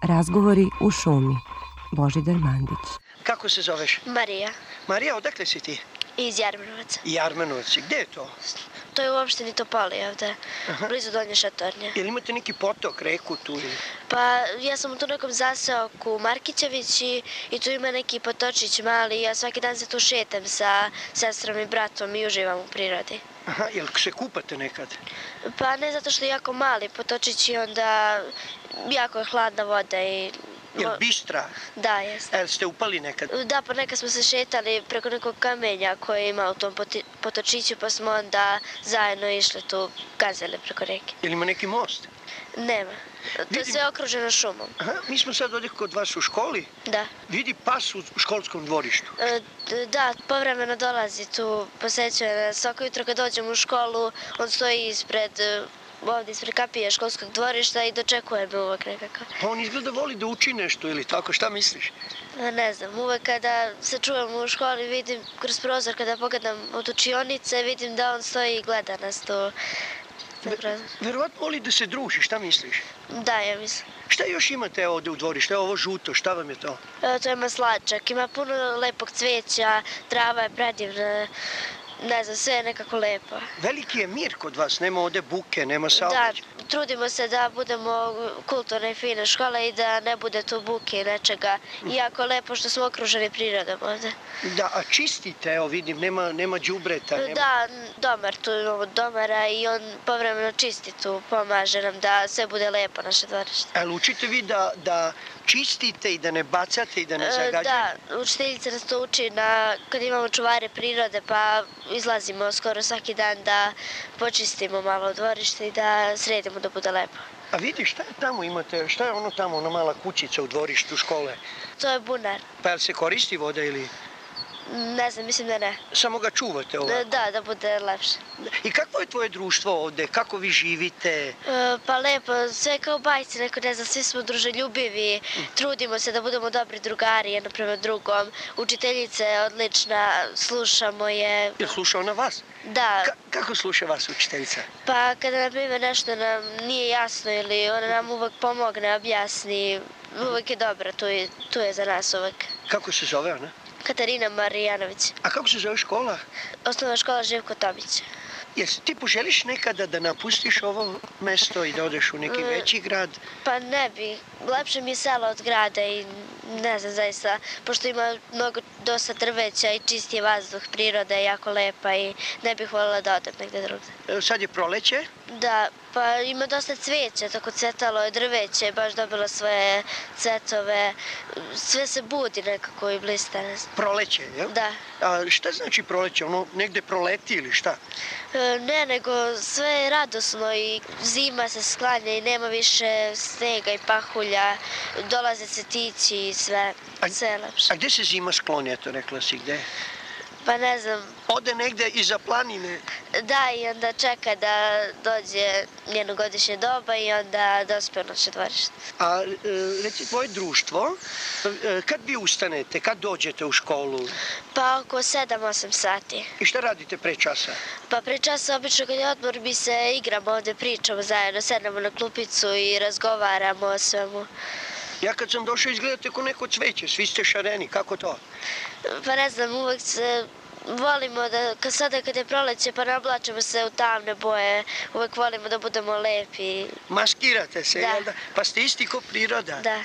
Razgovori u šumi. Božidar Mandić. Kako se zoveš? Marija. Marija, odakle si ti? Iz Jarmenovaca. Jarmenovci. Gde je to? To je u opštini Topoli ovde, blizu Donje Šatornje. Jel imate neki potok, reku tu? Pa ja sam u tu nekom zaseoku Markićević i tu ima neki potočić mali. Ja svaki dan se tu šetam sa sestrom i bratom i uživam u prirodi. Aha, jel se kupate nekad? Pa ne zato što je jako mali potočić i onda jako je hladna voda i... Jel bistra? Da, jeste. Jel ste upali nekad? Da, pa nekad smo se šetali preko nekog kamenja koje ima u tom potočiću, pa smo onda zajedno išli tu, gazili preko reke. Jel ima neki most? Nema. To je sve okruženo šumom. Aha, mi smo sad ovdje kod vas u školi. Da. Vidi pas u školskom dvorištu. Da, povremeno dolazi tu, posećuje nas. Svako jutro kad dođemo u školu, on stoji ovdje ispred kapije školskog dvorišta i dočekuje me uvek nekako. Pa on izgleda voli da uči nešto ili tako, šta misliš? Ne znam, uvek kada se čujemo u školi vidim kroz prozor, kada pogledam od učionice, vidim da on stoji i gleda nas tu. Verovatno voli da se druži, šta misliš? Da, ja mislim. Šta još imate ovdje u dvorištu? Evo ovo žuto, šta vam je to? To je maslačak, ima puno lepog cveća, trava je predivna. Ne znam, sve je nekako lepo. Veliki je mir kod vas, nema ovdje buke, nema saobraćaja. Da, trudimo se da budemo kulturna i fina škola i da ne bude tu buke i nečega. I jako lepo što smo okruženi prirodom ovdje. Da, a čistite, evo vidim, nema đubreta. Da, domar, tu imamo domara i on povremeno čisti tu, pomaže nam da sve bude lepo naše dvorište. Ali učite vi da čistite i da ne bacate i da ne zagađate? Da, učiteljica nas to uči kad imamo čuvare prirode, pa izlazimo skoro svaki dan da počistimo malo dvorište i da sredimo da bude lepo. A vidi, šta je tamo imate, šta je ono tamo, ona mala kućica u dvorištu škole? To je bunar. Pa jel se koristi voda ili? Ne znam, mislim da ne. Samo ga čuvate ovako? Da bude lepše. I kakvo je tvoje društvo ovde? Kako vi živite? Pa lepo, sve kao bajci, neko ne znam, svi smo druželjubivi, trudimo se da budemo dobri drugari jedno prema drugom. Učiteljica je odlična, slušamo je. Jel sluša ona vas? Da. Kako sluša vas učiteljica? Pa kada na primjer nešto nam nije jasno ili ona nam uvek pomogne, objasni, uvek je dobra, tu je za nas uvek. Kako se zove ona? Katarina Marijanović. A kako se zove škola? Osnovna škola Živko Tomić. Jesi ti poželiš nekada da napustiš ovo mesto i da odeš u neki veći grad? Pa ne bi. Lepše mi je selo od grada i ne znam zaista, pošto ima dosta drveća i čist je vazduh, priroda je jako lepa i ne bih voljela da odem negde drugde. Sad je proleće? Da, pa ima dosta cveća, tako cvetalo je drveće, baš dobilo svoje cvetove, sve se budi nekako i blista. Proleće, jel? Da. A šta znači proleće? Ono negde proleti ili šta? Ne, nego sve je radosno i zima se sklanja i nema više snega i pahulja, dolaze cvetići i sve je lepše. A gde se zima skloni, eto rekla si, gde? Pa ne znam. Ode negde iza planine? Da, i onda čeka da dođe njeno godišnje doba i onda dospe u naše dvorište. A reci, tvoje društvo, kad vi ustanete, kad dođete u školu? Pa oko 7-8 sati. I šta radite pre časa? Pa pre časa obično kad je odmor mi se igramo ovde, pričamo zajedno, sednemo na klupicu i razgovaramo o svemu. Ja kad sam došao izgledate ko neko cveće, svi ste šareni, kako to? Pa ne znam, uvek se volimo da, sada kad je proleće pa nablačimo se u tamne boje, uvek volimo da budemo lepi. Maskirate se, da. Jel da? Pa ste isti ko priroda. Da.